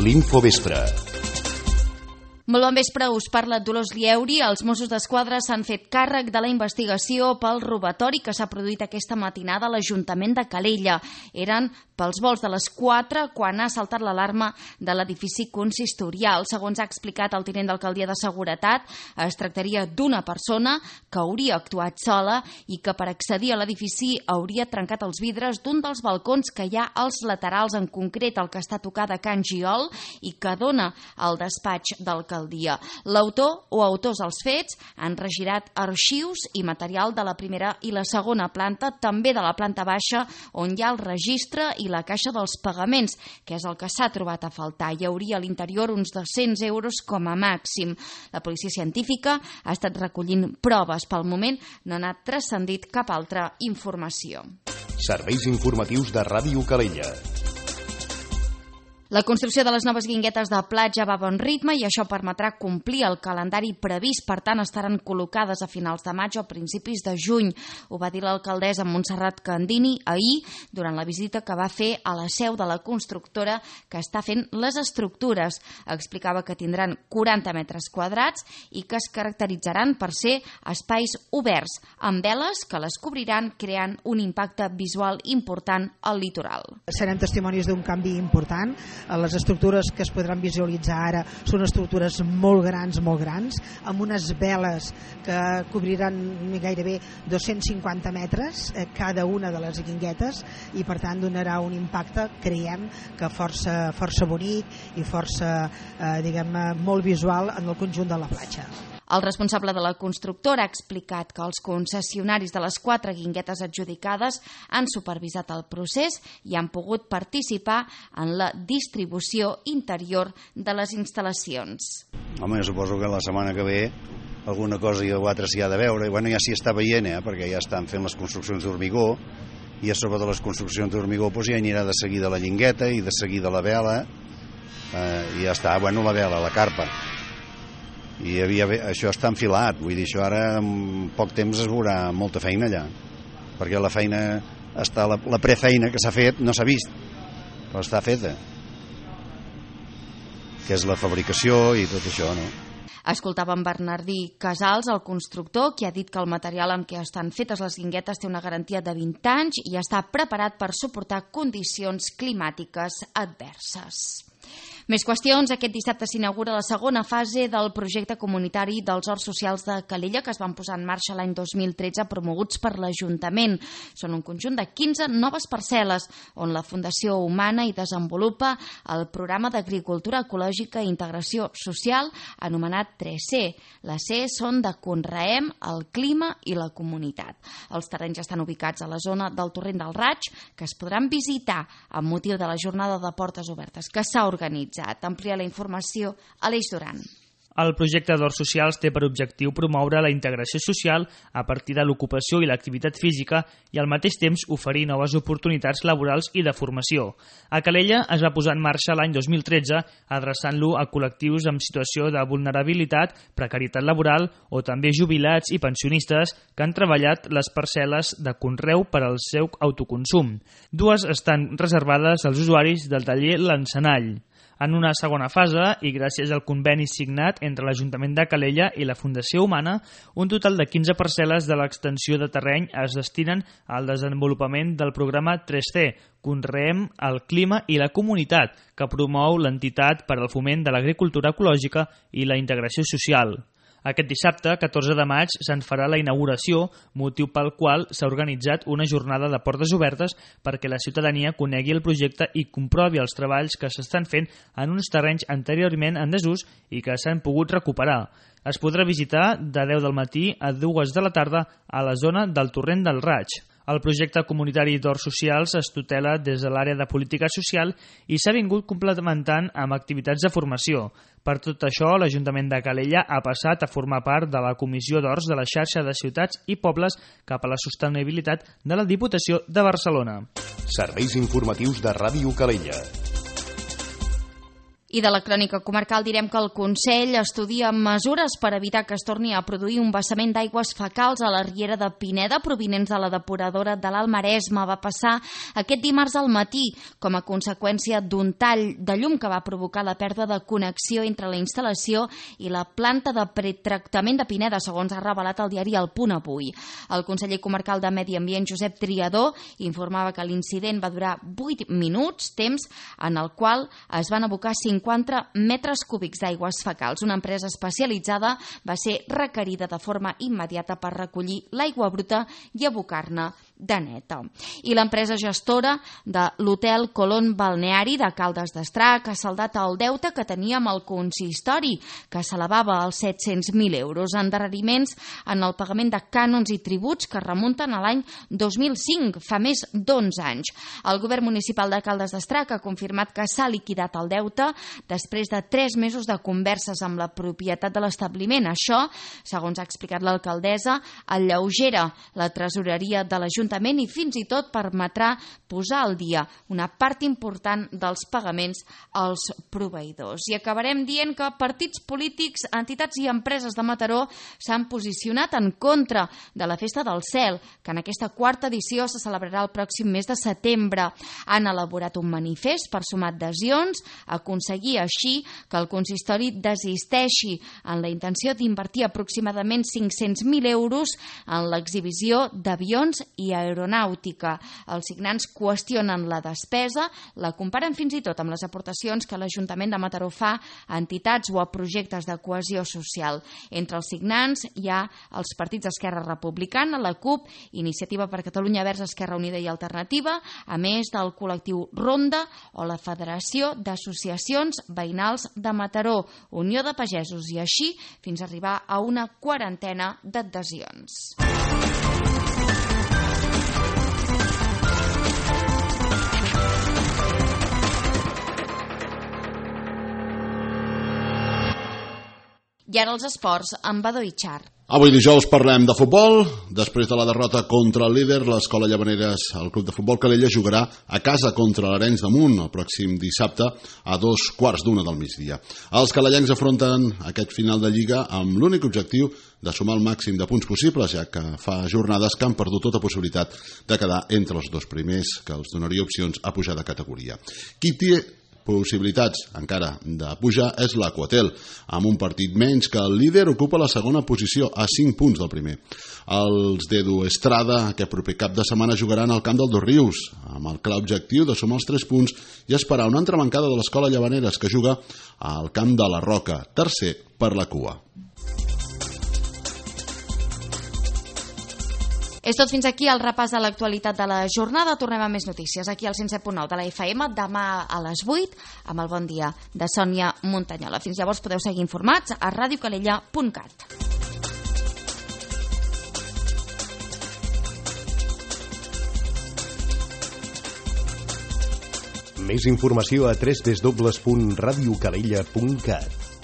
l'Infovespre. Molt bon vespre, us parla Dolors Lieuri. Els Mossos d'Esquadra s'han fet càrrec de la investigació pel robatori que s'ha produït aquesta matinada a l'Ajuntament de Calella. Eren pels volts de les 4 quan ha saltat l'alarma de l'edifici consistorial. Segons ha explicat el tinent d'alcaldia de Seguretat, es tractaria d'una persona que hauria actuat sola i que per accedir a l'edifici hauria trencat els vidres d'un dels balcons que hi ha als laterals, en concret el que està tocat de Can Giol i que dona al despatx d'alcaldia. L'autor o autors dels fets han regirat arxius i material de la primera i la segona planta, també de la planta baixa, on hi ha el registre i la caixa dels pagaments, que és el que s'ha trobat a faltar. Hi hauria a l'interior uns 200 euros com a màxim. La policia científica ha estat recollint proves. Pel moment no ha anat transcendit cap altra informació. Serveis informatius de Ràdio Calella. La construcció de les noves guinguetes de platja va a bon ritme i això permetrà complir el calendari previst. Per tant, estaran col·locades a finals de maig o a principis de juny. Ho va dir l'alcaldessa Montserrat Candini ahir durant la visita que va fer a la seu de la constructora que està fent les estructures. Explicava que tindran 40 metres quadrats i que es caracteritzaran per ser espais oberts, amb veles que les cobriran, creant un impacte visual important al litoral. Serem testimonis d'un canvi important. Les estructures que es podran visualitzar ara són estructures molt grans, amb unes veles que cobriran gairebé 250 metres cada una de les guinguetes i per tant donarà un impacte, creiem, que força bonic i força, molt visual en el conjunt de la platja. El responsable de la constructora ha explicat que els concessionaris de les 4 guinguetes adjudicades han supervisat el procés i han pogut participar en la distribució interior de les instal·lacions. Home, jo suposo que la setmana que ve alguna cosa o altra s'hi ha de veure. Bueno, ja s'hi està veient, perquè ja estan fent les construccions d'hormigó i a sobre de les construccions d'hormigó ja anirà de seguida la llingueta i de seguida la vela i ja està, la vela, la carpa. I això està enfilat, vull dir, això ara en poc temps es veurà molta feina allà, perquè la feina està, la prefeina que s'ha fet no s'ha vist, però està feta, que és la fabricació i tot això, no? Escoltàvem Bernardí Casals, el constructor, que ha dit que el material amb què estan fetes les guinguetes té una garantia de 20 anys i està preparat per suportar condicions climàtiques adverses. Més qüestions. Aquest dissabte s'inaugura la segona fase del projecte comunitari dels Horts Socials de Calella, que es van posar en marxa l'any 2013, promoguts per l'Ajuntament. Són un conjunt de 15 noves parcel·les, on la Fundació Humana hi desenvolupa el programa d'agricultura ecològica i integració social, anomenat 3C. Les C són de Conreem, el clima i la comunitat. Els terrenys estan ubicats a la zona del Torrent del Raig, que es podran visitar amb motiu de la jornada de portes obertes que s'ha organitzat. Amplia la informació a l'Eix Duran. El projecte d'Horts Socials té per objectiu promoure la integració social a partir de l'ocupació i l'activitat física i al mateix temps oferir noves oportunitats laborals i de formació. A Calella es va posar en marxa l'any 2013 adreçant-lo a col·lectius amb situació de vulnerabilitat, precarietat laboral o també jubilats i pensionistes que han treballat les parcel·les de conreu per al seu autoconsum. 2 estan reservades als usuaris del taller L'Encenall. En una segona fase, i gràcies al conveni signat entre l'Ajuntament de Calella i la Fundació Humana, un total de 15 parcel·les de l'extensió de terreny es destinen al desenvolupament del programa 3C, Conreem el clima i la comunitat, que promou l'entitat per al foment de l'agricultura ecològica i la integració social. Aquest dissabte, 14 de maig, se'n farà la inauguració, motiu pel qual s'ha organitzat una jornada de portes obertes perquè la ciutadania conegui el projecte i comprovi els treballs que s'estan fent en uns terrenys anteriorment en desús i que s'han pogut recuperar. Es podrà visitar de 10 del matí a 2 de la tarda a la zona del Torrent del Raig. El projecte comunitari d'Horts Socials es tutela des de l'àrea de política social i s'ha vingut complementant amb activitats de formació. Per tot això, l'Ajuntament de Calella ha passat a formar part de la Comissió d'Horts de la xarxa de ciutats i pobles cap a la sostenibilitat de la Diputació de Barcelona. Serveis informatius de Ràdio Calella. I de la crònica comarcal direm que el Consell estudia mesures per evitar que es torni a produir un vessament d'aigües fecals a la riera de Pineda provinents de la depuradora de l'Alt Maresme. Va passar aquest dimarts al matí com a conseqüència d'un tall de llum que va provocar la pèrdua de connexió entre la instal·lació i la planta de pretractament de Pineda, segons ha revelat el diari El Punt avui. El conseller comarcal de Medi Ambient, Josep Triador, informava que l'incident va durar 8 minuts, temps en el qual es van abocar 50 metres cúbics d'aigües fecals. Una empresa especialitzada va ser requerida de forma immediata per recollir l'aigua bruta i abocar-ne de neta. I l'empresa gestora de l'hotel Colón Balneari de Caldes d'Estrac ha saldat el deute que tenia amb el consistori, que s'elevava als 700.000 euros, endarreriments en el pagament de cànons i tributs que remunten a l'any 2005, fa més d'11 anys. El govern municipal de Caldes d'Estrac ha confirmat que s'ha liquidat el deute després de 3 mesos de converses amb la propietat de l'establiment. Això, segons ha explicat l'alcaldessa, alleugera la tresoreria de l'Ajuntament i fins i tot permetrà posar al dia una part important dels pagaments als proveïdors. I acabarem dient que partits polítics, entitats i empreses de Mataró s'han posicionat en contra de la Festa del Cel, que en aquesta 4ª edició se celebrarà el pròxim mes de setembre. Han elaborat un manifest per sumar adhesions, aconseguir així que el consistori desisteixi en la intenció d'invertir aproximadament 500.000 euros en l'exhibició d'avions i aeronàutica. Els signants qüestionen la despesa, la comparen fins i tot amb les aportacions que l'Ajuntament de Mataró fa a entitats o a projectes de cohesió social. Entre els signants hi ha els partits d'Esquerra Republicana, la CUP, Iniciativa per Catalunya Verds, Esquerra Unida i Alternativa, a més del col·lectiu Ronda o la Federació d'Associacions Veïnals de Mataró, Unió de Pagesos, i així fins a arribar a una 40ena d'adhesions. I ara els esports amb Badó i Char. Avui dijous parlem de futbol. Després de la derrota contra el líder, l'Escola Llavaneres, el Club de Futbol Calella, jugarà a casa contra l'Arenys de Munt el pròxim dissabte a 2:15 del migdia. Els calellencs afronten aquest final de Lliga amb l'únic objectiu de sumar el màxim de punts possibles, ja que fa jornades que han perdut tota possibilitat de quedar entre els 2 primers, que els donaria opcions a pujar de categoria. Qui té possibilitats encara de pujar és l'Aquatel, amb un partit menys que el líder ocupa la segona posició a 5 punts del primer. Els d'Edu Estrada aquest proper cap de setmana jugaran al camp del Dosrius, amb el clar objectiu de sumar els 3 punts i esperar una entrebancada de l'Escola Llavaneres, que juga al camp de la Roca, tercer per la cua. És tot fins aquí el repàs de l'actualitat de la jornada. Tornem a més notícies aquí al 107.9 de la FM demà a les 8 amb el Bon Dia de Sònia Montanyola. Fins llavors podeu seguir informats a radiocalella.cat. Més informació a www.radiocalella.cat.